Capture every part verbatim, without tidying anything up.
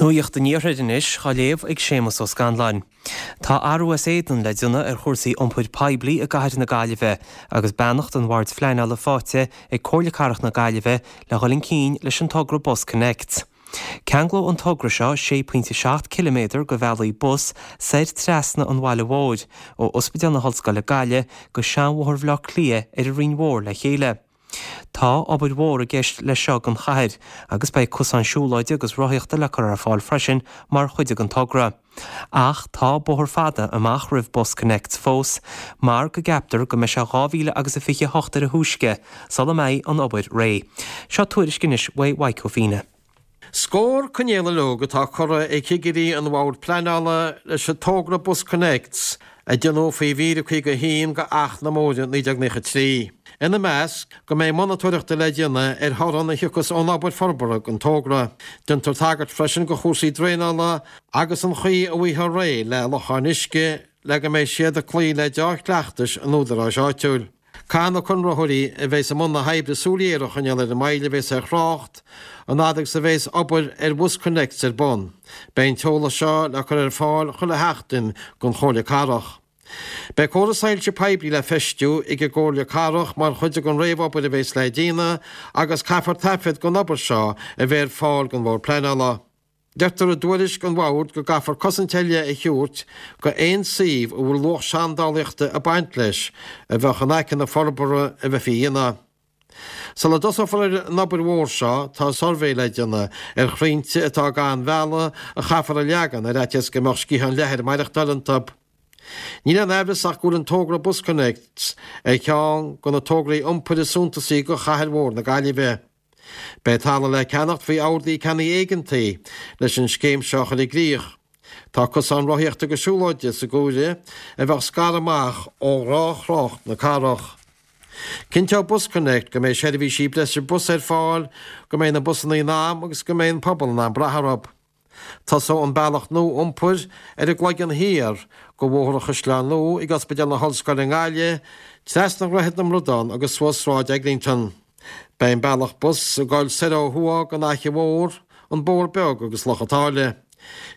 Nuacht an Iarthair anois á léamh ag Séamus Ó Scanláin. Tá athrú as éadan le déanamh ar chúrsaí iompair poiblí i gcathair na Gaillimhe agus beannacht an Bhoird Phleanála faighte ag Comhairle Cathrach na Gaillimhe le dhul chun cinn leis an togra BusConnects. Ceanglóidh an togra seo sé pointe seacht ciliméadar de bhealaí bus soir trasna an bhaile mhóir ó Ospidéal na hOllscoile Gaillimh go Seanbhóthar Bhaile Átha Cliath ar an Rinn Mhór le chéile. Tá obair mhór i gceist leis seo don chathair agus beidh cosáin siúlóide agus rothaíochta le cur ar fáil freisin mar chuid den togra. Ach tá bóthar fada amach roimh BusConnects fós, mar go gceaptar go mbeidh sé dhá mhíle agus a fiche hocht ar a thúisce sula mbeidh an obair réidh. Seo tuairisc anois uaidh Mhaidhc Ó Fíne. Scór coinníoll uileag atá curtha ag cigirí an Bhoird Pleanála leis an togra BusConnects a déanadh faoi mhír a caoga a haon de Acht na mBóithre naoi déag naocha trí. Ina measc, go mbeidh monatóireacht le déanamh ar thorann a thiocfas ón obair forbartha den togra. Déantar tagairt freisin do chúrsaí draenála agus an chaoi a bhfaighfear réidh le locháin uisce le go mbeidh siad ag cloí le dea-chleachtais an údaráis áitiúil. Caithfidh na conraitheoirí a bheas i mbun na hoibre súil ghéar a choinneáil ar an moill a bheas ar thrácht, an fhad agus a bheas obair ar BusConnects ar bun. Beidh an t-eolas seo le cur ar fáil chuile sheachtain don Chomhairle Cathrach. Beidh córas soilse poiblí le feistiú ag an gComhairle Cathrach mar chuid den réamhobair a bheas le déanamh agus caithfear taifead den obair seo a bheith ar fáil don Bhord Pleanála. Deirtear i dtuairisc an Bhoird go gcaithfear cosaint eile a thabhairt go aon suíomh a bhfuil luach seandálaíochta ag baint leis a bheadh in aice na forbartha a bheifí a dhéanamh. Sula dtosófar ar an obair mhór seo tá suirbhé le déanamh ar chrainnte atá gan bhealaigh a chaithfear a leagan ar fhaitíos go mbeadh sciatháin leathair ag maireachtáil iontu. Níl aon amhras ach go bhfuil an togra BusConnects ar cheann de na tograí iompair is suntasaí go chathair mhór na Gaillimhe. Beidh talamh le ceannacht faoi orduithe ceannaigh éigeantaigh leis an scéim seo a chur i gcrích. Tá cosán rothaíochta agus siúlóide sa gcomhaireamh a bheadh scartha amach ó ghnáth-thrácht na cathrach. Cinnteoidh BusConnect go mbeidh seirbhísí breise bus ar fáil, go mbeidh na busanna in am agus go mbeidh an pobal in ann brath orthu. Tosóidh an bealach nua iompair ar an gCloigeann Thiar go Bhóthar an Chaisleáin Nua ag Ospidéal na hOllscoile i nGaillimh, trasna Dhroichead na mBradán agus suas Sráid Eglinton. Beidh an bealach bus ag dul soir ó thuaidh den Fhaiche Mhór, an Bóthar Beag agus Loch an tSáile.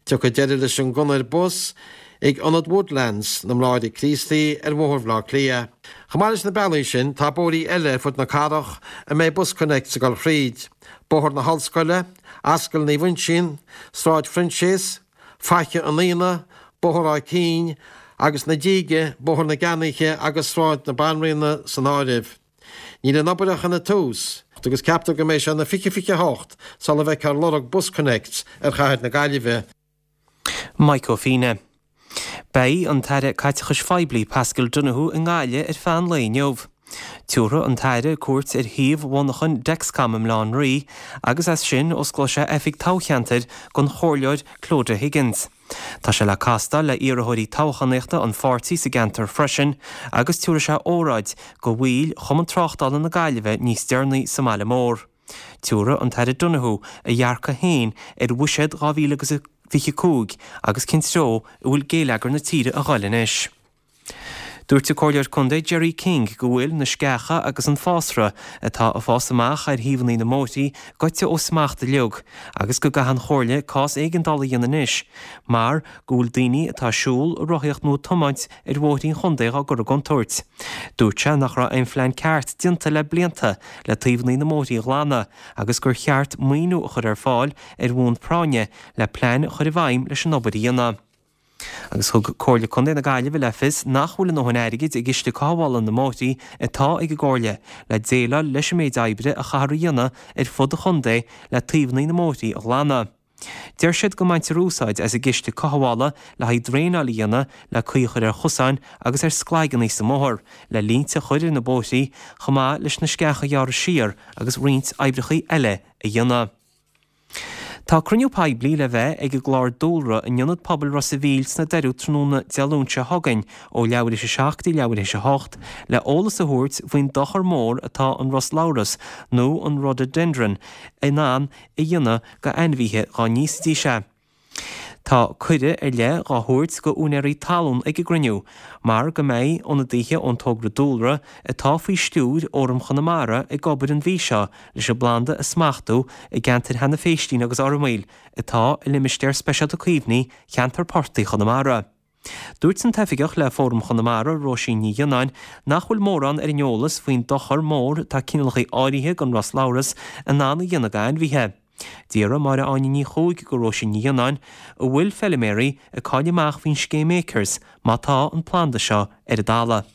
Tiocfaidh deireadh leis an gconair bus ag Ionad Woodlands na mBráithre Críostaí ar Bhóthar Bhaile Átha Cliath. Chomh maith leis na bealaí sin, tá bóithrí eile ar fud na cathrach a mbeidh BusConnects ag dul thríd, Bóthar na hOllscoile, Ascaill Naomh Uinseann, Sráid Phroinséas, Faiche an Fhíona, Bóthar Áth Cinn agus na Díge, Bóthar na gCeannaithe agus Sráid na Banríona san áireamh. Níl an obair ach ina tús, agus ceaptar go mbeidh sé ina fiche fiche a hocht sula bhfeicfear lorg BusConnects ar chathair na Gaillimhe. Mike Ó Fíne. Beidh an tAire Caiteachais Phoiblí Paschal Donohoe i nGaillimh ar feadh an lae inniu. Tabharfaidh an tAire cuairt ar shuíomh mhonarchan Dexcom i mBaile Átha an Rí agus as sin osclóidh sé oifig toghcheantair don Chomhairleoir Clodagh Higgins. Tá sé le castáil le iarrthóirí toghchánaíochta an pháirtí sa gceantar freisin agus tabharfaidh sé óráid do bhaill Chumann Tráchtála na Gaillimhe níos deireanaí sa mbaile mór. Tabharfaidh an tAire Donohoe a dhearcadh féin ar bhuiséad dhá mhíle agus a fiche cúig agus cén treo a bhfuil géilleagar na tíre a dhul anois. Dúirt an Comhairleoir Contae Gerry King go bhfuil na sceacha agus an fásra atá ag fás amach ar thaobhanna na mbóithrí goite ó smacht uilig agus go gcaithfidh an Chomhairle cás éigeandála a dhéanamh anois mar go bhfuil daoine atá ag siúl, ag rothaíocht nó ag tiomáint ar bhóithrí an chontae á gcur i gcontúirt. Dúirt sé nach raibh aon phlean ceart déanta le blianta le taobhanna na mbóithrí a ghlanadh agus gur cheart maoiniú a chur ar fáil ar bhonn práinne le plean a chur i bhfeidhm leis an obair a dhéanamh. Agus thug Comhairle Contae na Gaillimhe le fios nach bhfuil a ndóthain airgid i gciste cothabhála na mbóithrí atá ag an gComhairle le déileáil leis an méid oibre a chaithfear a dhéanamh ar fud an chontae le taobhanna na mbóithrí a ghlanadh. Deir siad go mbaintear úsáid as an gciste cothabhála le haghaidh draenáil a dhéanamh, le caoi a chur ar chosáin agus ar sclaigeanna sa mbóthar, le línte a chur ar na bóithrí, chomh maith leis na sceacha a ghearradh siar agus roinnt oibreacha eile a dhéanamh. Tá cruinniú poiblí le bheith ag an gClár Dúlra in Ionad Pobail Ros a' Mhíl sna Doirí tráthnóna Dé Luain seo chugainn ó leathuair théis a seacht go dtí leathuair théis a hocht le eolas a thabhairt faoin dochar mór atá an ros labhras nó an rhododendron in ann a dhéanamh go ainmhithe dhá n-íosfaidís é. Tá cuireadh ar leith dhá thabhairt go úinéirí talún ag an gcruinniú, mar go mbeidh ionadaithe ón togra dúlra atá faoi stiúir Fhóram Chonamara ag obair an mhí seo leis an bplanda a smachtú i gceantair Sheanadh Phéistín agus Fhormaoil atá i Limistéar Speisialta Caomhnaithe Cheantar Portaigh Chonamara. Dúirt an t-oifigeach le Fóram Chonamara, Róisín Ní Ghionnáin, nach bhfuil mórán ar an eolas faoin dochar mór atá cineálacha áirithe den roslabhras in ann a dhéanamh d'ainmhithe. D'iarr Máire Áine Ní Chuaig go Róisín Ní Ghionnáin an bhfuil feilméaraí ag fáil amach faoin scéim Acres má tá an planda seo ar a dtalamh.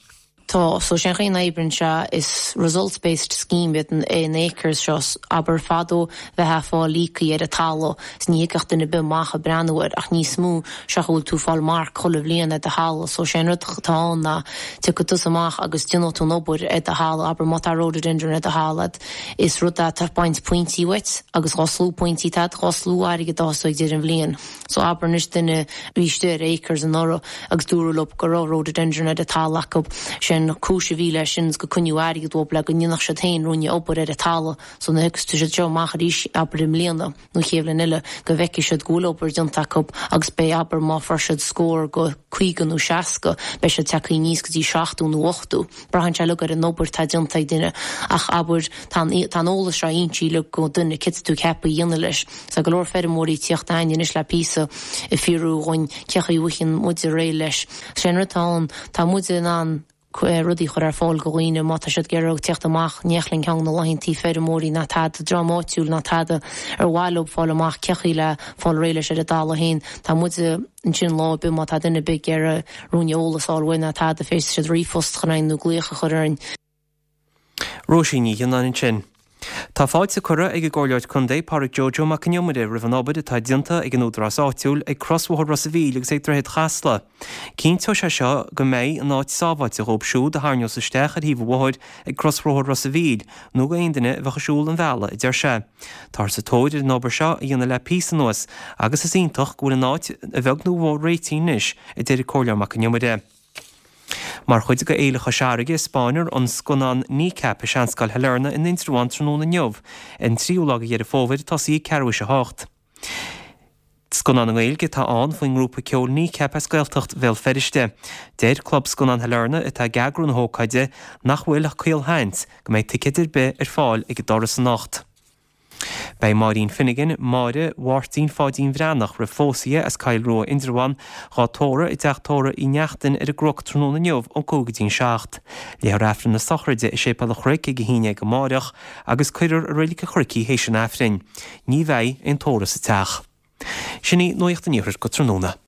Tá so sé chaon oibreann sé is results based scheme iad an Acres seo abair fadó bheifeá ag fáil lící ar an talamh is ní thigeadh duine ar bith amach ag breathnú air ach níos mó seo go bhfuil tú fáil marc chuile bhliain ar do thalamh so sé an rud atá ann ná tiocfaidh tusa amach agus déanfaidh tú an obair ar do thalamh abair má tá rhododendron ar do thalamh is rud é atá ag baint pointí uait agus dhá slú pointí tá dhá slú airgead ag deireadh an bhliain so abair anois duine bhí istigh ar Acres anuraidh agus dúradh leo go raibh rhododendron ar a talamh acu sé an cúis a bhí leis sin go coinneodh airgead dóibh le go ndéanfadh siad féin ruainne obair ar a talamh so nuair a thiocfas siad seo amach arís abair i mbliana nó chéad bhliain eile go bhfeicfidh siad go bhfuil obair déanta acu agus beidh abair má fuair siad scór go caoga nó seasca beidh siad tagtha aníos go dtí seachtó nó ochtó. Braitheann sé uilig ar an obair tá déanta ag duine ach abair tá an eolas seo inti le go duine cad tú ceaptha a dhéanamh leis. Tá go leor feirmeoirí ag tíocht chugainn anois le píosa ag fiafraí dhúinn cén chaoi a bhfaighidh muid réidh leis. Sé an rud atá ann tá muid in ann rudaí chur ar fáil go dhaoine má tá siad ag iarraidh teacht amach nélinn ceann na laethanta feirmeoirí ná tada dream áitiúil ná tada ar mhaith leo fáil amach cén chaoi le fáil réidh leis ar a dtalamh féin Tá muid ansin lá ar bith má tá duine ar bith ag iarraidh ruainne eolas a fháil uainn ná tada féadfaidh siad ríomhphost a chur chugainn nó glaoch a chur orainn. Róisín Ní Ghionnáin ansin. Tá fáilte curtha ag an gComhairleoir Contae Pádraig Joe Joe Mac an Iomaire roimh an obair atá déanta ag an údarás áitiúil ag crosbhóthar Ros an Mhíl agus ag Droichead Chasla. Cinnteoidh sé seo go mbeidh an áit sábháilte dhóibh siúd a tharraingeos isteach ar thaobh an bhóthair ag crosbhóthar Ros an Mhíl nó go aon duine a bheadh ag siúl an bhealaigh, a deir sé. Táthar sa tóir ar an obair seo a dhéanamh le píosa anuas agus is iontach go bhfuil an áit a bheag nó a mhór réitithe anois, a deir an Comhairleoir Mac an Iomaire. Mar chuid de Fhéile Chois Fharraige spáinfear an scannán Kneecap i Seanscoil Shailearna in Indreabhán tráthnóna inniu, an tríú lá de Dheireadh Fómhair tosaí ag ceathrú théis a hocht. Scannán i nGaeilge atá ann faoin ngrúpa ceoil Kneecap as Gaeltacht Bhéal Feirste. Deir Club Scannán Shailearna atá ag eagrú na hócáide nach bhfuil ach caolsheans go mbeidh ticéid ar bith ar fáil ag an doras anocht. Beidh Máirín Finnegan, Máire Mháirtín Pháidín Bhreathnach roimh phósadh as Coill Rua Indreabhán, dhá tórramh i dteach tórraimh Uí Neachtain ar an gCnoc tráthnóna inniu ón cúig go dtí'n seacht. Léifear Aifreann na sochraide i Séipéal an Chnoic ag a haon déag amáireach agus cuirfear i Reilig an Chnoic í théis an Aifrinn. Ní bheidh aon tórramh sa teach. Sin í Nuacht an Iarthair go tráthnóna.